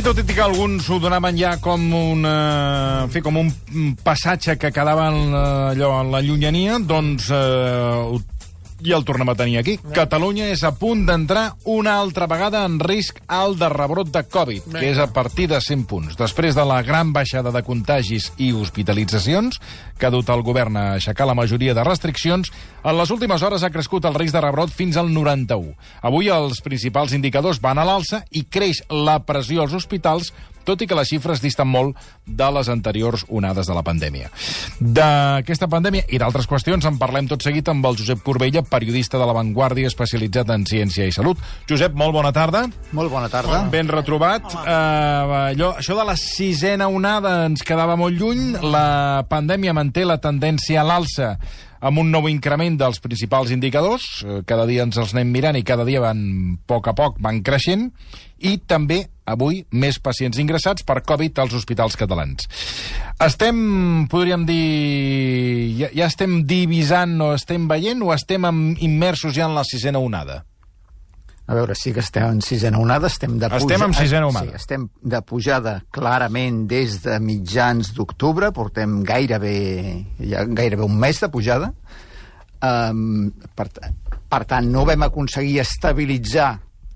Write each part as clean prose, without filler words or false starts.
tot i que alguns ho donaven ja com un passatge que quedava allò en la llunyania, doncs ja el tornem a tenir aquí. Catalunya és a punt d'entrar una altra vegada en risc alt de rebrot de Covid, que és a partir de 100 punts. Després de la gran baixada de contagis i hospitalitzacions, que ha dut el govern a aixecar la majoria de restriccions, en les últimes hores ha crescut el risc de rebrot fins al 91. Avui els principals indicadors van a l'alça i creix la pressió als hospitals, tot i que les xifres disten molt de les anteriors onades de la pandèmia. D'aquesta pandèmia i d'altres qüestions en parlem tot seguit amb el Josep Corbella, periodista de La Vanguardia especialitzat en ciència i salut. Josep, molt bona tarda. Molt bona tarda. Ben retrobat. Això de la sisena onada ens quedava molt lluny. La pandèmia manté la tendència a l'alça amb un nou increment dels principals indicadors. Cada dia ens els anem mirant i cada dia van, a poc, van creixent. I també, avui, més pacients ingressats per Covid als hospitals catalans. Podríem dir, ja estem divisant o estem veient o estem immersos ja en la sisena onada? A veure, sí que estem en sisena onada, estem en sisena onada. Sí, estem de pujada clarament des de mitjans d'octubre, portem gairebé un mes de pujada. Per tant, no vam aconseguir estabilitzar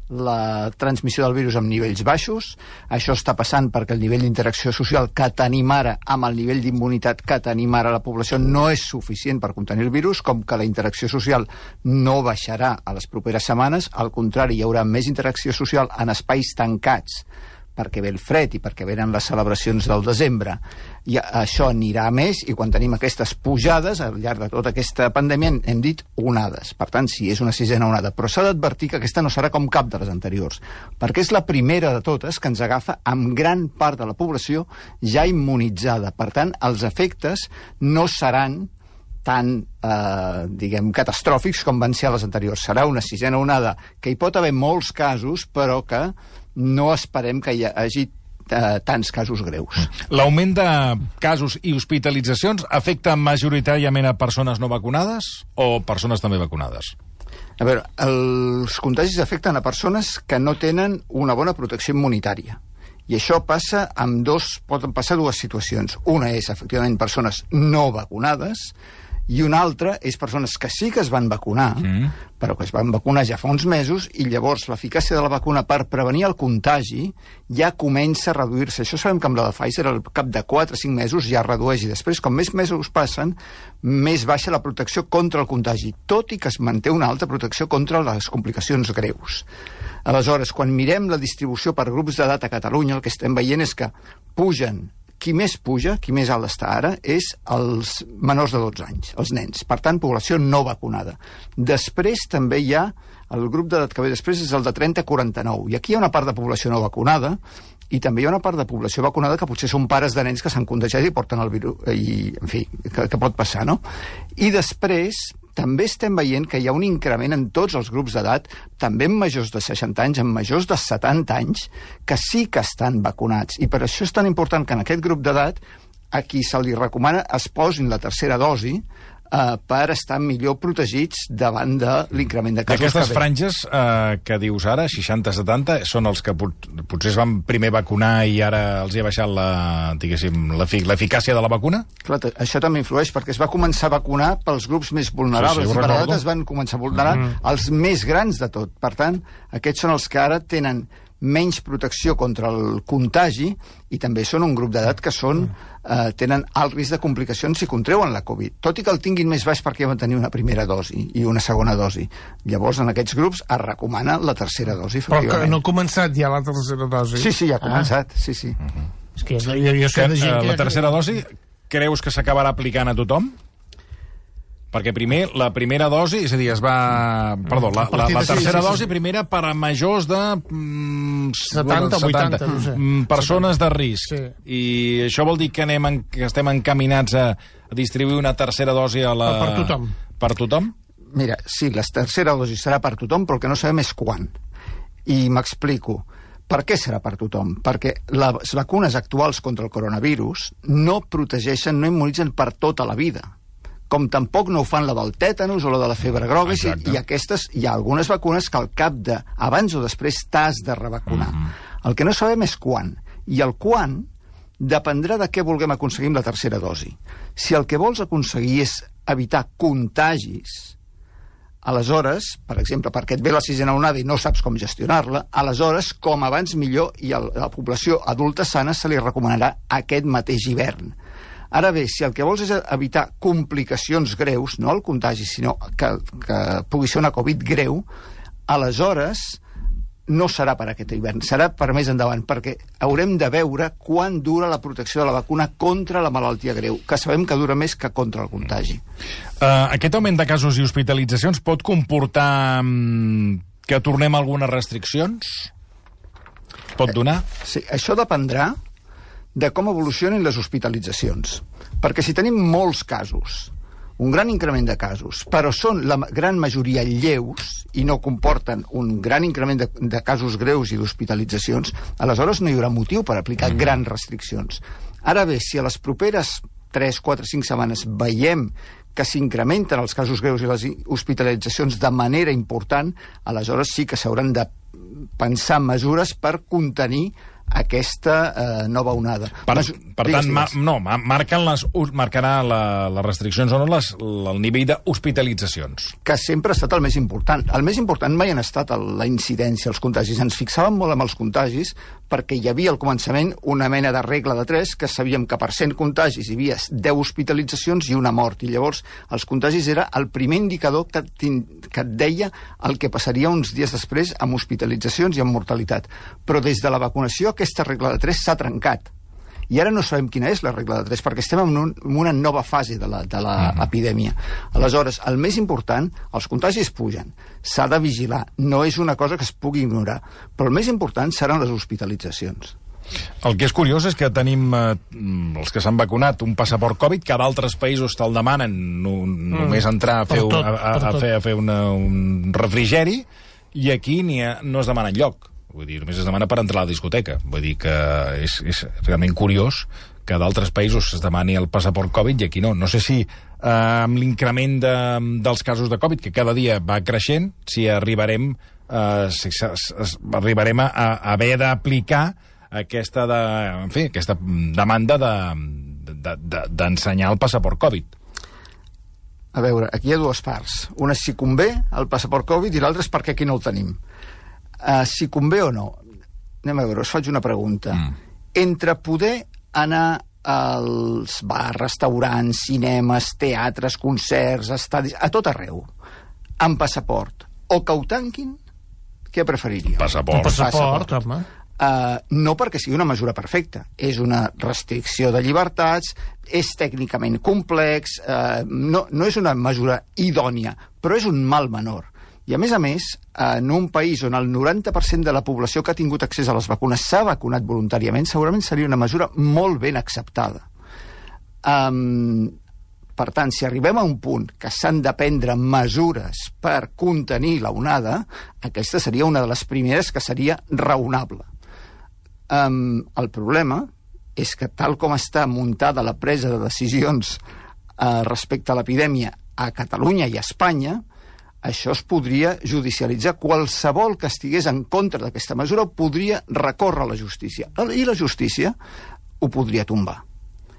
la transmissió del virus amb nivells baixos. Això està passant perquè el nivell d'interacció social que tenim ara amb el nivell d'immunitat que tenim ara a la població no és suficient per contenir el virus, com que la interacció social no baixarà a les properes setmanes. Al contrari, hi haurà més interacció social en espais tancats perquè ve el fred i perquè venen les celebracions del desembre. I això anirà a més, i quan tenim aquestes pujades, al llarg de tota aquesta pandèmia, hem dit onades. Per tant, sí, és una sisena onada. Però s'ha d'advertir que aquesta no serà com cap de les anteriors, perquè és la primera de totes que ens agafa amb gran part de la població ja immunitzada. Per tant, els efectes no seran tan, catastròfics com van ser a les anteriors. Serà una sisena onada que hi pot haver molts casos, però que no esperem que hi hagi tants casos greus. L'augment de casos i hospitalitzacions afecta majoritàriament a persones no vacunades o persones també vacunades? A veure, els contagis afecten a persones que no tenen una bona protecció immunitària. I això passa poden passar dues situacions. Una és, efectivament, persones no vacunades, i una altra és persones que sí que es van vacunar, però que es van vacunar ja fa uns mesos, i llavors l'eficàcia de la vacuna per prevenir el contagi ja comença a reduir-se. Això sabem que amb la de Pfizer al cap de 4 o 5 mesos ja es redueix, i després, com més mesos passen, més baixa la protecció contra el contagi, tot i que es manté una alta protecció contra les complicacions greus. Aleshores, quan mirem la distribució per grups d'edat a Catalunya, el que estem veient és que qui més puja, qui més alt està ara, és els menors de 12 anys, els nens. Per tant, població no vacunada. Després també hi ha, el grup d'edat que ve després és el de 30 a 49, i aquí hi ha una part de població no vacunada, i també hi ha una part de població vacunada que potser són pares de nens que s'han contagiat i porten el virus, i, en fi, que pot passar, no? I després també estem veient que hi ha un increment en tots els grups d'edat, també en majors de 60 anys, en majors de 70 anys, que sí que estan vacunats. I per això és tan important que en aquest grup d'edat a qui se li recomana es posin la tercera dosi per estar millor protegits davant de l'increment de casos. D'aquestes franges que dius ara, 60-70, són els que potser es van primer vacunar i ara els hi ha baixat l'eficàcia de la vacuna? Clar, això també influeix, perquè es va començar a vacunar pels grups més vulnerables, i per edat es van començar a vulnerar els més grans de tot. Per tant, aquests són els que ara tenen menys protecció contra el contagi, i també són un grup d'edat que tenen alt risc de complicacions si contreuen la Covid, tot i que el tinguin més baix perquè van tenir una primera dosi i una segona dosi. Llavors, en aquests grups es recomana la tercera dosi, efectivament. Però que no ha començat ja la tercera dosi? Sí, ja ha començat, sí. És que jo sé de gent que... La tercera dosi, creus que s'acabarà aplicant a tothom? Perquè primer, la primera dosi, és a dir, la tercera dosi primera per a majors de 70 o 80, no sé. Persones de risc. Sí. I això vol dir que estem encaminats a distribuir una tercera dosi per tothom. Per tothom? Mira, sí, la tercera dosi serà per tothom, però el que no sabem és quan. I m'explico. Per què serà per tothom? Perquè les vacunes actuals contra el coronavirus no protegeixen, no immunitzen per tota la vida. Com tampoc no ho fan la del tètanus o la de la febre groga, i hi ha algunes vacunes que al cap de, abans o després, t'has de revacunar. El que no sabem és quan. I el quan dependrà de què vulguem aconseguir amb la tercera dosi. Si el que vols aconseguir és evitar contagis, aleshores, per exemple, perquè et ve la sisena onada i no saps com gestionar-la, aleshores, com abans millor, i a la població adulta sana se li recomanarà aquest mateix hivern. Ara bé, si el que vols és evitar complicacions greus, no el contagi, sinó que pugui ser una Covid greu, aleshores no serà per aquest hivern, serà per més endavant, perquè haurem de veure quan dura la protecció de la vacuna contra la malaltia greu, que sabem que dura més que contra el contagi. Aquest augment de casos i hospitalitzacions pot comportar que tornem a algunes restriccions? Pot donar? Sí, això dependrà de com evolucionin les hospitalitzacions. Perquè si tenim molts casos, un gran increment de casos, però són la gran majoria lleus i no comporten un gran increment de casos greus i d'hospitalitzacions, aleshores no hi haurà motiu per aplicar grans restriccions. Ara bé, si a les properes 3, 4, 5 setmanes veiem que s'incrementen els casos greus i les hospitalitzacions de manera important, aleshores sí que s'hauran de pensar mesures per contenir aquesta nova onada. Per tant, marcarà les restriccions o no el nivell d'hospitalitzacions. Que sempre ha estat el més important. El més important mai han estat la incidència, els contagis. Ens fixàvem molt amb els contagis perquè hi havia al començament una mena de regla de 3, que sabíem que per 100 contagis hi havia 10 hospitalitzacions i una mort. I llavors els contagis era el primer indicador que et deia el que passaria uns dies després amb hospitalitzacions i amb mortalitat. Però des de la vacunació aquesta regla de 3 s'ha trencat. I ara no sabem quina és la regla de 3, perquè estem en una nova fase de l'epidèmia. Aleshores, el més important, els contagis pugen, s'ha de vigilar, no és una cosa que es pugui ignorar, però el més important seran les hospitalitzacions. El que és curiós és que tenim els que s'han vacunat un passaport Covid, que d'altres països te'l demanen només entrar a fer un refrigeri, i aquí no es demana enlloc. Vull dir, només es demana per entrar a la discoteca. Vull dir que és realment curiós que d'altres països es demani el passaport Covid i aquí no. No sé si amb l'increment dels casos de Covid, que cada dia va creixent, si arribarem a haver d'aplicar aquesta demanda d'ensenyar el passaport Covid. A veure, aquí hi ha dues parts. Una és si convé el passaport Covid i l'altra és perquè aquí no el tenim. Si convé o no. Anem a veure, us faig una pregunta. Entre poder anar als bars, restaurants, cinemes, teatres, concerts, estadis, a tot arreu, amb passaport, o que ho tanquin, què preferiríeu? Passaport, home. No perquè sigui una mesura perfecta, és una restricció de llibertats, és tècnicament complex, no és una mesura idònia, però és un mal menor. I a més, en un país on el 90% de la població que ha tingut accés a les vacunes s'ha vacunat voluntàriament, segurament seria una mesura molt ben acceptada. Per tant, si arribem a un punt que s'han de prendre mesures per contenir la onada, aquesta seria una de les primeres que seria raonable. El problema és que tal com està muntada la presa de decisions respecte a l'epidèmia a Catalunya i a Espanya, això es podria judicialitzar. Qualsevol que estigués en contra d'aquesta mesura podria recórrer a la justícia. I la justícia ho podria tombar.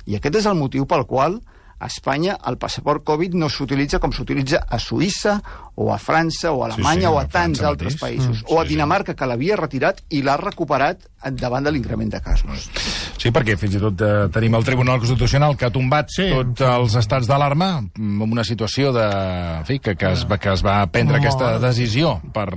I aquest és el motiu pel qual a Espanya el passaport Covid no s'utilitza com s'utilitza a Suïssa o a França o a Alemanya o a tants altres països. O a Dinamarca, que l'havia retirat i l'ha recuperat davant de l'increment de casos. Sí, perquè fins i tot tenim el Tribunal Constitucional que ha tombat tots els estats d'alarma en una situació que es va prendre aquesta decisió per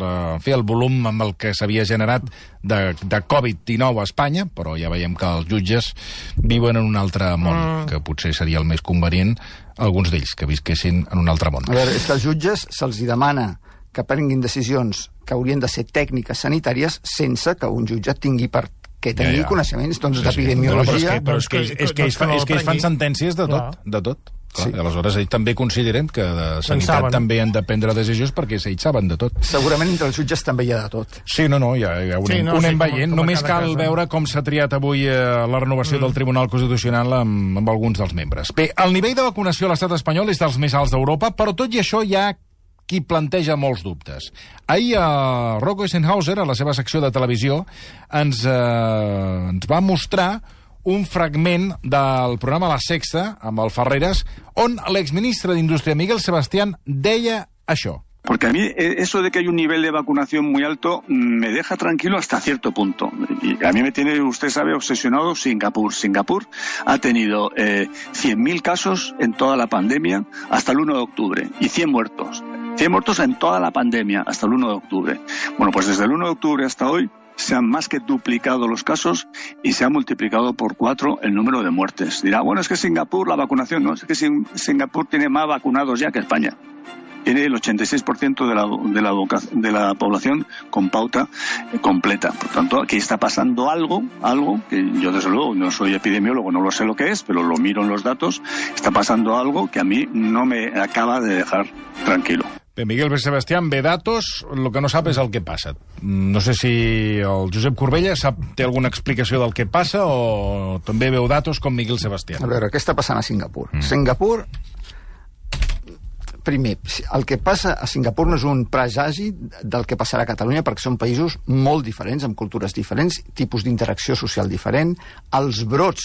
fer el volum amb el que s'havia generat de Covid-19 a Espanya, però ja veiem que els jutges viuen en un altre món, que potser seria el més convenient alguns d'ells que visquessin en un altre món. A veure, és que als jutges se'ls demana que prenguin decisions que haurien de ser tècniques sanitàries sense que un jutge tingui tenir coneixements d'epidemiologia. Però és que ells fan sentències de tot. Sí. Aleshores, ells també considerem que de sanitat també han de prendre decisions perquè ells saben de tot. Segurament entre els jutges també hi ha de tot. Sí, ja ho anem veient. Només cal veure com s'ha triat avui la renovació del Tribunal Constitucional amb alguns dels membres. Bé, el nivell de vacunació a l'estat espanyol és dels més alts d'Europa, però tot i això hi ha qui planteja molts dubtes. Ahir Rocco Eisenhauser, a la seva secció de televisió, ens va mostrar un fragment del programa La Sexta, amb el Ferreras, on l'exministre d'Indústria Miguel Sebastián deia això. Porque a mí eso de que hay un nivel de vacunación muy alto me deja tranquilo hasta cierto punto. Y a mí me tiene, usted sabe, obsesionado Singapur. Singapur ha tenido 100.000 casos en toda la pandemia hasta el 1 de octubre y 100 muertos. 100 muertos en toda la pandemia hasta el 1 de octubre. Bueno, pues desde el 1 de octubre hasta hoy se han más que duplicado los casos y se ha multiplicado por 4 el número de muertes. Dirá, bueno, es que Singapur, la vacunación, no, es que Singapur tiene más vacunados ya que España. Tiene el 86% de la población con pauta completa. Por tanto, aquí está pasando algo que yo desde luego no soy epidemiólogo, no lo sé lo que es, pero lo miro en los datos, está pasando algo que a mí no me acaba de dejar tranquilo. Bé, Miguel Sebastián ve datos, el que no sap és el que passa. No sé si el Josep Corbella té alguna explicació del que passa o també veu datos com Miguel Sebastián. A veure, què està passant a Singapur? Singapur, primer, el que passa a Singapur no és un presagi del que passarà a Catalunya, perquè són països molt diferents, amb cultures diferents, tipus d'interacció social diferent, els brots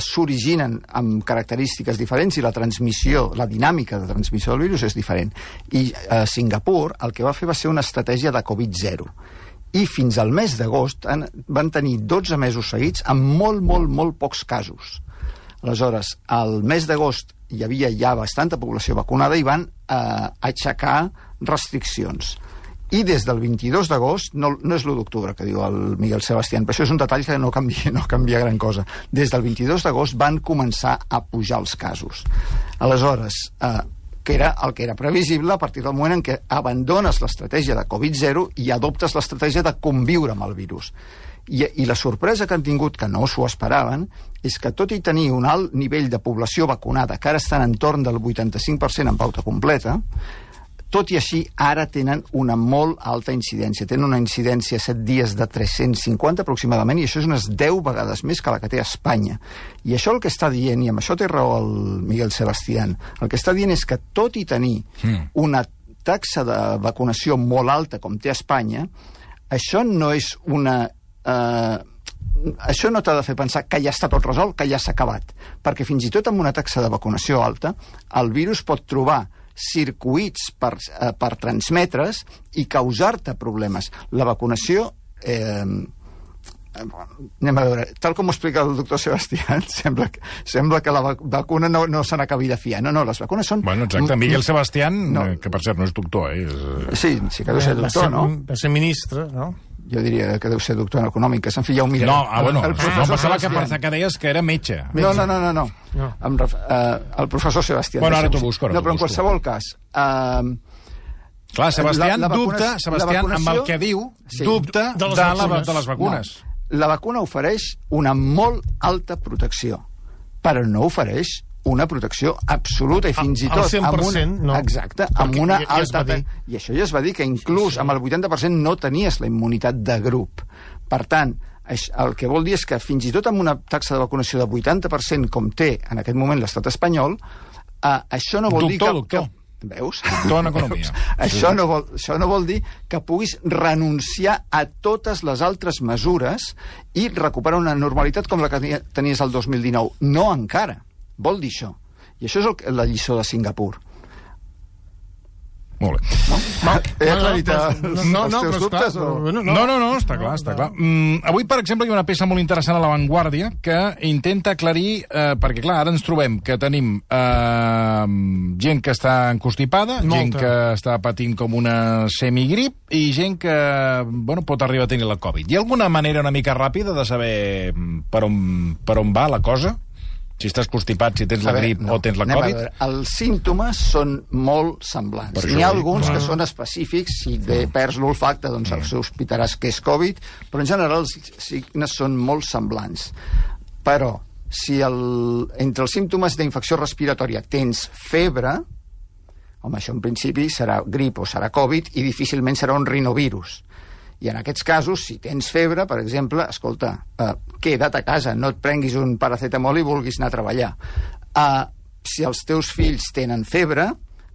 s'originen amb característiques diferents i la transmissió, la dinàmica de transmissió del virus és diferent. I Singapur el que va fer va ser una estratègia de Covid-0. I fins al mes d'agost van tenir 12 mesos seguits amb molt pocs casos. Aleshores, al mes d'agost hi havia ja bastanta població vacunada i van aixecar restriccions. I des del 22 d'agost, no és l'1 d'octubre que diu el Miguel Sebastián, però això és un detall que no canvia gran cosa. Des del 22 d'agost van començar a pujar els casos. Aleshores, que era el que era previsible a partir del moment en què abandones l'estratègia de Covid-0 i adoptes l'estratègia de conviure amb el virus. I la sorpresa que han tingut, que no s'ho esperaven, és que tot i tenir un alt nivell de població vacunada, que ara estan entorn del 85% en pauta completa, tot i així ara tenen una molt alta incidència. Tenen una incidència a 7 dies de 350 aproximadament, i això és unes 10 vegades més que la que té Espanya. I això el que està dient, i amb això té raó el Miguel Sebastián, el que està dient és que tot i tenir una taxa de vacunació molt alta com té Espanya, això no és una... això no t'ha de fer pensar que ja està tot resolt, que ja s'ha acabat, perquè fins i tot amb una taxa de vacunació alta el virus pot trobar circuits per transmetre's i causar-te problemes. La vacunació anem a veure, tal com ho explica el doctor Sebastián, sembla que la vacuna no se n'acabi de fiar. No, les vacunes són... Bueno, exacte, Miguel Sebastián, que per cert no és doctor, Sí que deu ser doctor, no? Va ser ministre, no? Jo diria que deu ser doctor en econòmiques. En fi, ja ho miraré. No, pensava que deies que era metge. No. El professor Sebastián. Bueno, ara t'ho busco. No, però en qualsevol cas... Clar, Sebastián dubta, amb el que diu, dubta de les vacunes. La vacuna ofereix una molt alta protecció, però no ofereix una protecció absoluta i fins i tot... Al 100%, no. Exacte, amb una alta... I això ja es va dir, que inclús amb el 80% no tenies la immunitat de grup. Per tant, el que vol dir és que fins i tot amb una taxa de vacunació de 80%, com té en aquest moment l'estat espanyol, això no vol dir que... Doctor. Veus? Doctor en economia. Això no vol dir que puguis renunciar a totes les altres mesures i recuperar una normalitat com la que tenies el 2019. No encara. Vol dir això. I això és la lliçó de Singapur. Molt bé. He aclarit els teus dubtes? No, està clar. Avui, per exemple, hi ha una peça molt interessant a La Vanguardia que intenta aclarir, perquè, clar, ara ens trobem que tenim gent que està encostipada, gent que està patint com una semigrip i gent que, pot arribar a tenir la Covid. Hi ha alguna manera una mica ràpida de saber per on va la cosa? Si estàs constipat, si tens la grip o tens la Covid? Els símptomes són molt semblants. N'hi ha alguns que són específics. Si perds l'olfacte, doncs sospitaràs que és Covid, però en general els signes són molt semblants. Però si entre els símptomes d'infecció respiratòria tens febre, home, això en principi serà grip o serà Covid i difícilment serà un rinovirus. I en aquests casos, si tens febre, per exemple, escolta, queda't a casa, no et prenguis un paracetamol i vulguis anar a treballar. Si els teus fills tenen febre,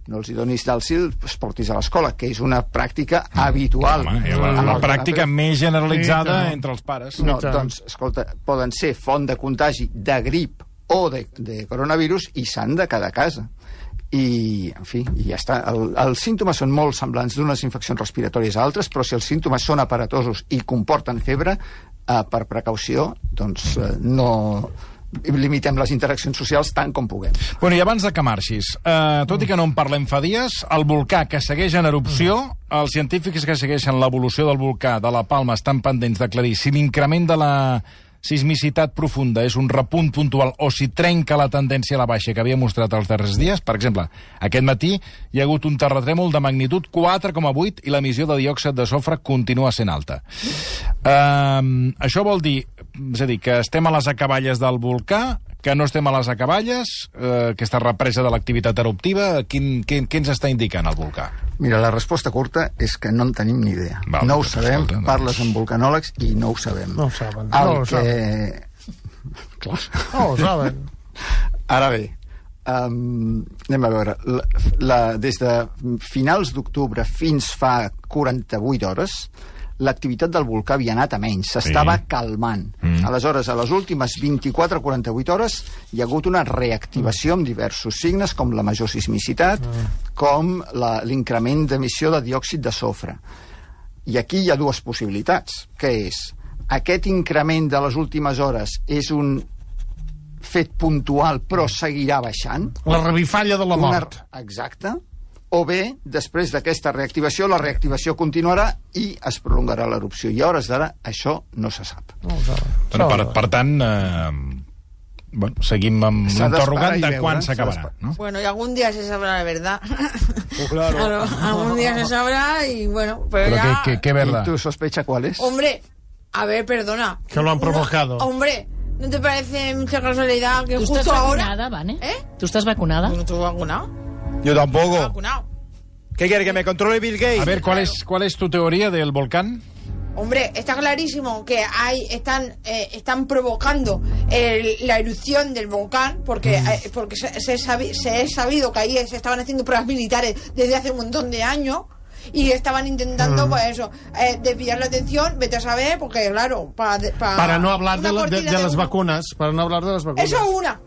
no els hi donis d'alsil, es portis a l'escola, que és una pràctica habitual. La pràctica més generalitzada entre els pares. No, doncs, escolta, poden ser font de contagi de grip o de coronavirus i s'han de quedar a casa. I, en fi, i ja està. Els símptomes són molt semblants d'unes infeccions respiratòries a altres, però si els símptomes són aparatosos i comporten febre, per precaució, doncs no limitem les interaccions socials tant com puguem. Bueno, i abans de que marxis, tot i que no en parlem fa dies, el volcà que segueix en erupció, els científics que segueixen l'evolució del volcà de la Palma estan pendents d'aclarir si l'increment de la sismicitat profunda és un repunt puntual o si trenca la tendència a la baixa que havia mostrat els darrers dies. Per exemple, aquest matí hi ha hagut un terratrèmol de magnitud 4,8 i l'emissió de diòxid de sofre continua sent alta. Això vol dir, és a dir, que estem a les acaballes del volcà, que no estem a les acaballes, aquesta represa de l'activitat eruptiva, què ens està indicant el volcà? Mira, la resposta curta és que no en tenim ni idea. Val, no ho sabem, escolta, parles amb volcanòlegs i no ho sabem. No ho saben. Clar. No ho saben. Ara bé, anem a veure. Des de finals d'octubre fins fa 48 hores, l'activitat del volcà havia anat a menys, s'estava calmant. Aleshores, a les últimes 24-48 hores hi ha hagut una reactivació amb diversos signes, com la major sismicitat, com l'increment d'emissió de diòxid de sofre. I aquí hi ha dues possibilitats, que és aquest increment de les últimes hores és un fet puntual però seguirà baixant. La revifalla de la mort. Exacte. O bé, després d'aquesta reactivació, la reactivació continuarà i es prolongarà l'erupció. I a hores d'ara això no se sap. No ho saben. Per tant, seguim amb l'interrogant de quan s'acabarà. ¿No? Bueno, y algún día se sabrá la verdad. Claro. Algún día se sabrá y bueno, pero ya... ¿Qué verdad? ¿Y tu sospecha cuál es? Hombre, a ver, perdona. Que lo han provocado. Hombre, ¿no te parece mucha casualidad que ¿Tú justo estás ahora... vacunada, Vane? ¿Eh? ¿Tú estás vacunada? ¿No estoy vacunado? Yo tampoco. ¿Vacunado? ¿Qué quiere, que me controle Bill Gates? A ver, ¿cuál es tu teoría del volcán? Hombre, está clarísimo que están provocando la erupción del volcán porque se es sabido que ahí se estaban haciendo pruebas militares desde hace un montón de años y estaban intentando, pues eso, desviar la atención, vete a saber, porque claro, para no hablar de las vacunas, para no hablar de las vacunas. Eso es una.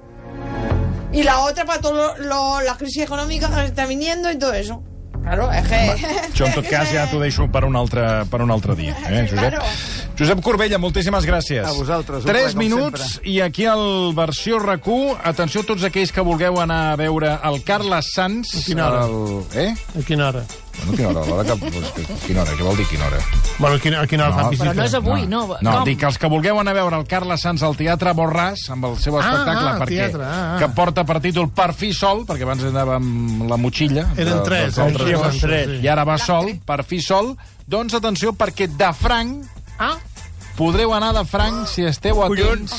Y la otra para toda la crisis econòmica que està viniendo y todo eso. Claro, és que... Això, en tot cas, ja t'ho deixo per un altre dia, Josep? Claro. Josep Corbella, moltíssimes gràcies. A vosaltres. 3 minuts i aquí al versió RAC1, atenció a tots aquells que vulgueu anar a veure el Carles Sans. A quina hora? A quina hora? Bueno, quina hora? Quina hora? Què vol dir quina hora? Bueno, a quina hora fan visita? Però no és avui, no. No, dic que els que vulgueu anar a veure el Carles Sans al Teatre Borràs, amb el seu espectacle, perquè que porta per títol Per fi sol, perquè abans anava amb la motxilla. Eren tres. I ara va sol, per fi sol. Doncs atenció, perquè de franc podreu anar de franc si esteu atents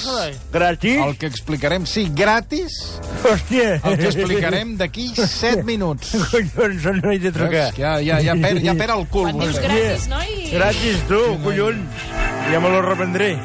Gratis? al que explicarem. Sí, gratis, Hòstia. el que explicarem d'aquí 7 minuts. Collons, no he de trucar. Ja perd el cul. Quan dius gratis, noi... Gratis, tu, collons. Ja me lo reprendré.